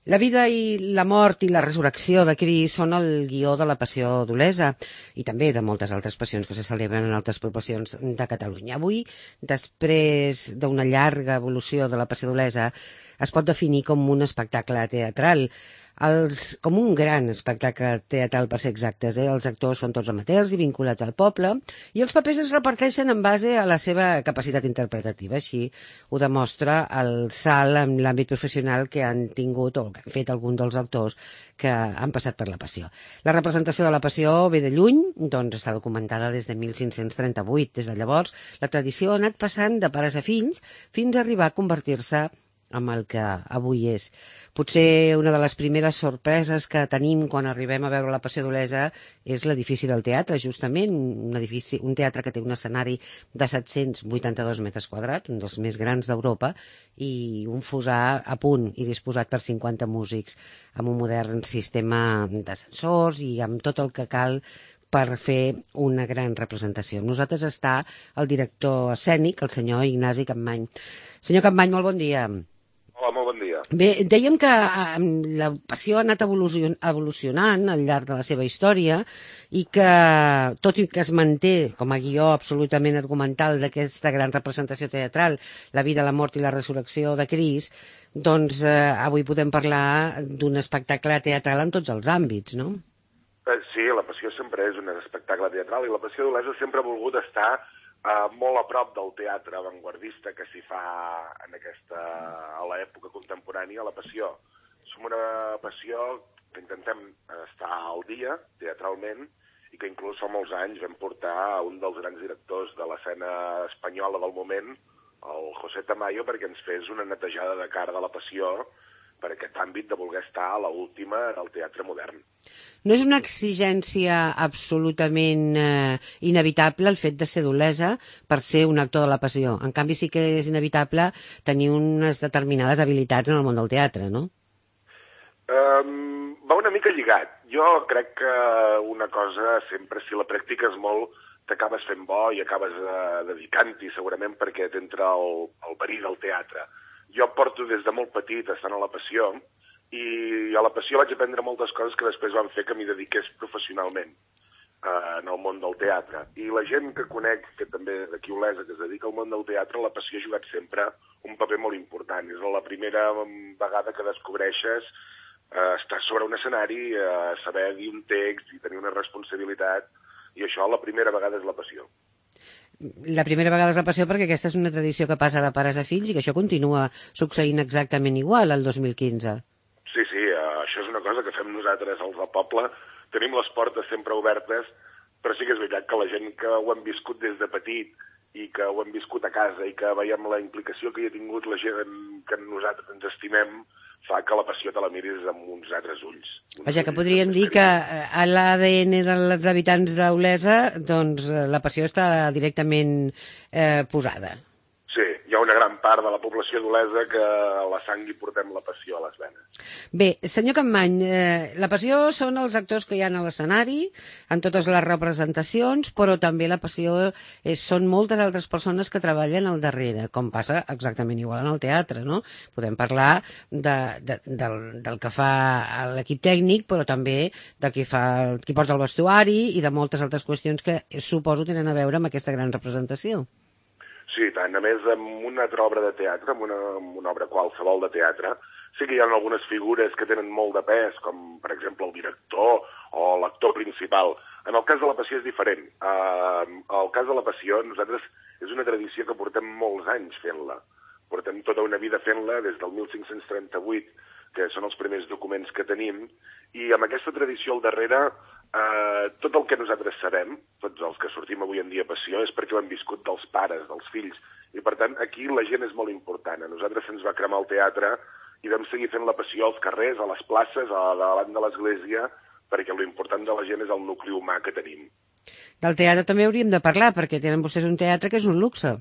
La vida i la mort i la resurrecció de Crist són el guió de la Passió d'Olesa i també de moltes altres passions que se celebren en altres poblacions de Catalunya. Avui, després d'una llarga evolució de la Passió d'Olesa, es pot definir com un espectacle teatral, com un gran espectacle teatral per ser exactes. Els actors són tots amateurs i vinculats al poble i els papers es reparteixen en base a la seva capacitat interpretativa. Així ho demostra el salt en l'àmbit professional que han tingut o que han fet alguns dels actors que han passat per la Passió. La representació de la Passió ve de lluny, doncs està documentada des de 1538. Des de llavors, la tradició ha anat passant de pares a fills fins a arribar a convertir-se amb el que avui és. Potser una de les primeres sorpreses que tenim quan arribem a veure la Passió d'Olesa és l'edifici del teatre, justament, un teatre que té un escenari de 782 metres quadrats, un dels més grans d'Europa, i un fossar a punt i disposat per 50 músics, amb un modern sistema d'ascensors i amb tot el que cal per fer una gran representació. Amb nosaltres està el director escènic, el senyor Ignasi Capmany. Senyor Capmany, molt bon dia. Hola, molt bon dia. Bé, dèiem que la Passió ha anat evolucionant al llarg de la seva història i que, tot i que es manté com a guió absolutament argumental d'aquesta gran representació teatral, la vida, la mort i la resurrecció de Crist, doncs avui podem parlar d'un espectacle teatral en tots els àmbits, no? Sí, la Passió sempre és un espectacle teatral i la Passió d'Olesa sempre ha volgut estar molt a prop del teatre avantguardista que s'hi fa a l'època contemporània, la Passió. Som una passió que intentem estar al dia, teatralment, i que inclús fa molts anys vam portar un dels grans directors de l'escena espanyola del moment, el José Tamayo, perquè ens fes una netejada de cara de la Passió per aquest àmbit de voler estar a l'última en el teatre modern. No és una exigència absolutament inevitable el fet de ser d'Olesa per ser un actor de la Passió. En canvi, sí que és inevitable tenir unes determinades habilitats en el món del teatre, no? Va una mica lligat. Jo crec que una cosa sempre, si la practiques molt, t'acabes fent bo i acabes dedicant-hi segurament perquè t'entra el verí del teatre. Jo porto des de molt petit estant a la Passió i a la Passió vaig aprendre moltes coses que després van fer que m'hi dediqués professionalment en el món del teatre. I la gent que conec, que també d'aquí Olesa, que es dedica al món del teatre, la Passió ha jugat sempre un paper molt important. És la primera vegada que descobreixes estar sobre un escenari, saber dir un text i tenir una responsabilitat, i això la primera vegada és la Passió. La primera vegada és la Passió perquè aquesta és una tradició que passa de pares a fills i que això continua succeint exactament igual al 2015. Sí, això és una cosa que fem nosaltres, els del poble. Tenim les portes sempre obertes, però sí que és veritat que la gent que ho hem viscut des de petit i que ho hem viscut a casa i que veiem la implicació que hi ha tingut la gent que nosaltres ens estimem, fa que la Passió te la miris amb uns altres ulls. Vaja, que podríem dir que a l'ADN dels habitants d'Olesa, doncs la Passió està directament posada. Sí, hi ha una gran part de la població d'Olesa que a la sang hi portem la Passió a les venes. Bé, senyor Capmany, la Passió són els actors que hi ha a l'escenari, en totes les representacions, però també la Passió són moltes altres persones que treballen al darrere, com passa exactament igual en el teatre, no? Podem parlar del que fa l'equip tècnic, però també de qui porta el vestuari i de moltes altres qüestions que suposo tenen a veure amb aquesta gran representació. Sí, tant. A més, amb una altra obra de teatre, amb una obra qualsevol de teatre, sí que hi ha algunes figures que tenen molt de pes, com, per exemple, el director o l'actor principal. En el cas de la Passió és diferent. El cas de la Passió, nosaltres, és una tradició que portem molts anys fent-la. Portem tota una vida fent-la des del 1538, que són els primers documents que tenim, i amb aquesta tradició al darrere tot el que nosaltres sabem, tots els que sortim avui en dia a Passió, és perquè ho hem viscut dels pares, dels fills, i per tant aquí la gent és molt important. A nosaltres se'ns va cremar el teatre i vam seguir fent la Passió als carrers, a les places, davant de l'església, perquè l'important de la gent és el nucli humà que tenim. Del teatre també hauríem de parlar, perquè tenen vostès un teatre que és un luxe.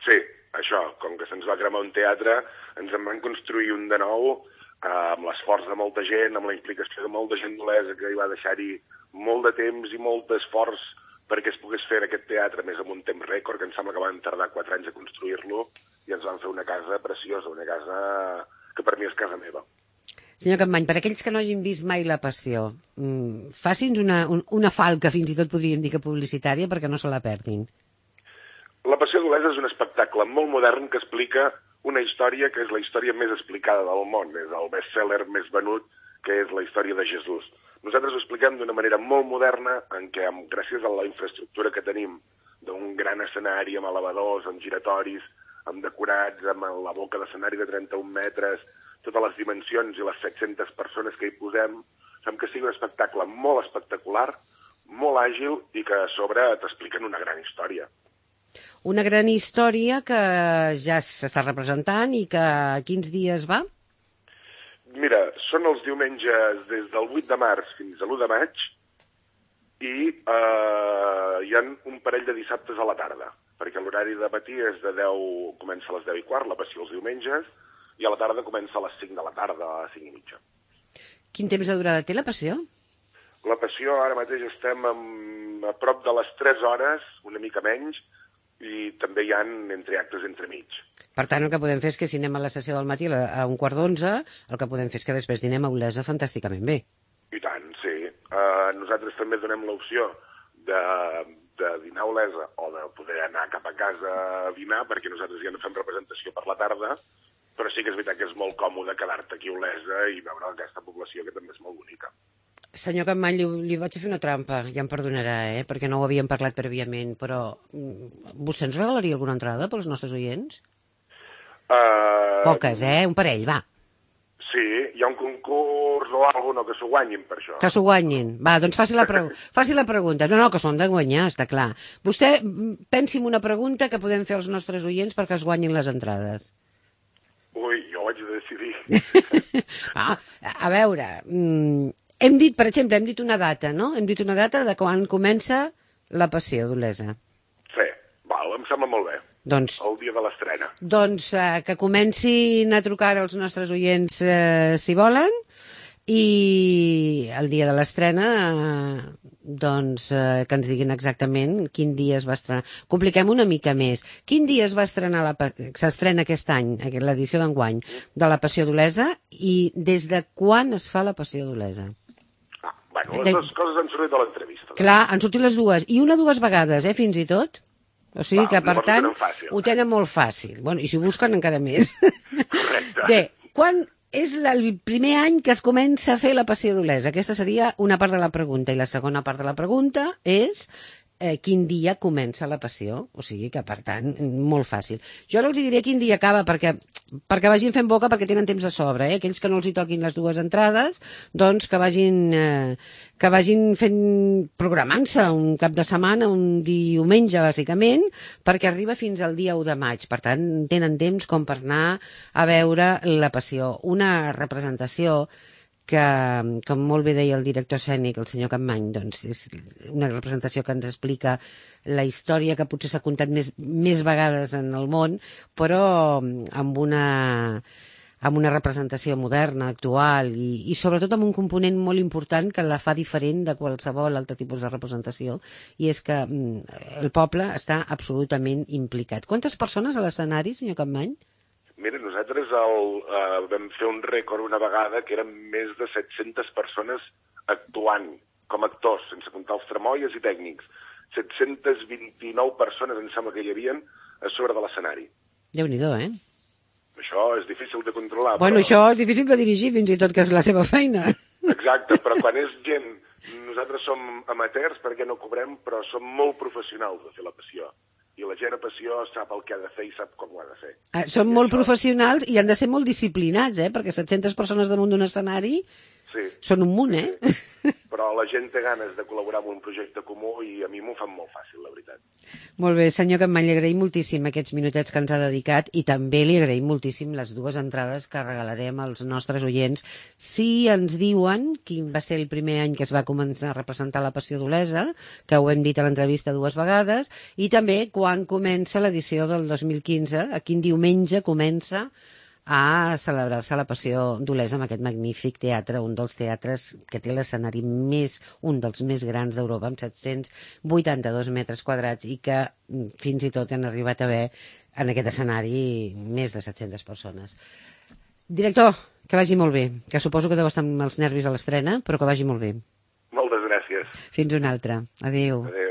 Sí, això, com que se'ns va cremar un teatre, ens en van construir un de nou, amb l'esforç de molta gent, amb la implicació de molta gent d'Olesa que hi va deixar-hi molt de temps i molt d'esforç perquè es pogués fer aquest teatre, més en un temps rècord, que em sembla que van tardar 4 anys a construir-lo, i ens van fer una casa preciosa, una casa que per mi és casa meva. Senyor Capmany, per aquells que no hagin vist mai La Passió, faci'ns una falca, fins i tot podríem dir que publicitària, perquè no se la perdin. La Passió d'Olesa és un espectacle molt modern que explica una història que és la història més explicada del món. És el best-seller més venut, que és la història de Jesús. Nosaltres ho expliquem d'una manera molt moderna, en què, gràcies a la infraestructura que tenim, d'un gran escenari amb elevadors, amb giratoris, amb decorats, amb la boca d'escenari de 31 metres, totes les dimensions i les 700 persones que hi posem, fem que sigui un espectacle molt espectacular, molt àgil i que a sobre t'expliquen una gran història. Una gran història que ja s'està representant i que quins dies va? Mira, són els diumenges des del 8 de març fins a l'1 de maig i hi ha un parell de dissabtes a la tarda, perquè l'horari de matí és comença a les 10:15, La Passió els diumenges, i a la tarda comença a les 5 de la tarda, a les 5:30. Quin temps de durada té La Passió? La Passió, ara mateix estem a prop de les 3 hores, una mica menys, i també hi ha entreactes entremig. Per tant, el que podem fer és que si anem a la sessió del matí a 11:15, el que podem fer és que després dinem a Olesa fantàsticament bé. I tant, sí. Nosaltres també donem l'opció de dinar a Olesa o de poder anar cap a casa a dinar, perquè nosaltres ja no fem representació per la tarda, però sí que és veritat que és molt còmode quedar-te aquí a Olesa i veure aquesta població que també és molt bonica. Senyor Capmany, li vaig a fer una trampa, ja em perdonarà, perquè no ho havíem parlat prèviament, però vostè ens regalaria alguna entrada pels nostres oients? Poques, un parell, va. Sí, hi ha un concurs o alguna que s'ho guanyin per això. Que s'ho guanyin. Va, doncs faci la pregunta. No, que són de guanyar, està clar. Vostè pensi en una pregunta que podem fer als nostres oients perquè es guanyin les entrades. Ui, jo ho haig de decidir. A veure, hem dit, per exemple, una data, no? Hem dit una data de quan comença La Passió d'Olesa. Sí, em sembla molt bé. Doncs, el dia de l'estrena. Doncs que comencin a trucar als nostres oients si volen, i el dia de l'estrena que ens diguin exactament quin dia es va estrenar. Compliquem una mica més. Quin dia s'estrena aquest any, l'edició d'enguany, de La Passió d'Olesa, i des de quan es fa La Passió d'Olesa? Les dues coses han sortit a l'entrevista. Clar, han sortit les dues, i dues vegades, fins i tot. O sigui que, per tant, ho tenen molt fàcil. Bueno, i si ho busquen encara més. Correcte. Bé, quan és el primer any que es comença a fer La Passió d'Olesa? Aquesta seria una part de la pregunta. I la segona part de la pregunta és quin dia comença La Passió. O sigui que, per tant, molt fàcil. Jo no els diré quin dia acaba perquè vagin fent boca, perquè tenen temps de sobre. Aquells que no els hi toquin les dues entrades, doncs que vagin programant-se un cap de setmana, un diumenge, bàsicament, perquè arriba fins al dia 1 de maig. Per tant, tenen temps com per anar a veure La Passió. Una representació que, com molt bé deia el director escènic, el senyor Capmany, doncs és una representació que ens explica la història que potser s'ha contat més vegades en el món, però amb una representació moderna, actual, i sobretot amb un component molt important que la fa diferent de qualsevol altre tipus de representació, i és que el poble està absolutament implicat. Quantes persones a l'escenari, senyor Capmany? Mira, nosaltres vam fer un rècord una vegada que eren més de 700 persones actuant com a actors, sense comptar els tramoies i tècnics. 729 persones, em sembla que hi havien, a sobre de l'escenari. Déu-n'hi-do, Això és difícil de controlar. Bueno, això és difícil de dirigir, fins i tot, que és la seva feina. Exacte, però quan és gent... Nosaltres som amateurs perquè no cobrem, però som molt professionals de fer La Passió. I la gent a Passió sap el que ha de fer i sap com ho ha de fer. Són molt professionals i han de ser molt disciplinats, perquè 700 persones damunt d'un escenari són un munt, Però la gent té ganes de col·laborar en un projecte comú i a mi m'ho fan molt fàcil, la veritat. Molt bé, senyor Capmany, li agraïm moltíssim aquests minutets que ens ha dedicat, i també li agraïm moltíssim les dues entrades que regalarem als nostres oients si ens diuen quin va ser el primer any que es va començar a representar La Passió d'Olesa, que ho hem dit a l'entrevista dues vegades, i també quan comença l'edició del 2015, a quin diumenge comença a celebrar-se La Passió d'Olesa amb aquest magnífic teatre, un dels teatres que té l'escenari un dels més grans d'Europa, amb 782 metres quadrats, i que fins i tot han arribat a haver en aquest escenari més de 700 persones. Director, Que vagi molt bé, que suposo que deu estar amb els nervis a l'estrena, però que vagi molt bé. Moltes gràcies. Fins una altra. Adéu. Adéu.